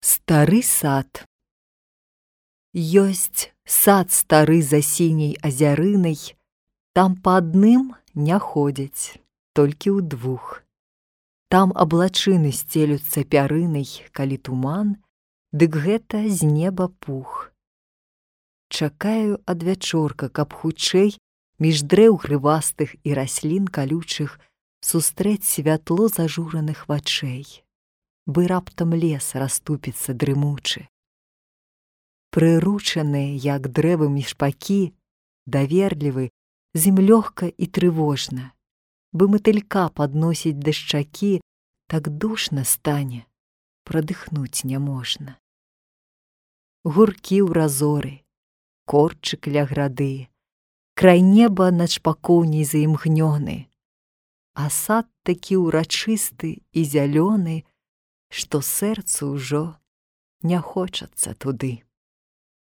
Стары сад. Ёсць сад стары за сіняй азярынай, там па адным не ходзяць, толькі ўдвух. Там аблачыны сцелюцца пярынай, калі туман, дык гэта з неба пух. Чакаю ад вячорка, каб хутчэй між дрэў грывастых і раслін калючых сустрэць святло зажураных вачэй, бы раптам лес расступіцца дрымучы. Прыручаныя, як дрэвамі шпакі, даверлівы, з ім лёгка і трывожна, бы матылька падносіць да шчакі, так душна стане, прадыхнуць няможна. Гуркі ў разоры, корчык ля грады, край неба над шпакоўняй заімгнёны, а сад такі ўрачысты і зялёны, што сэрцу ўжо не хочацца туды.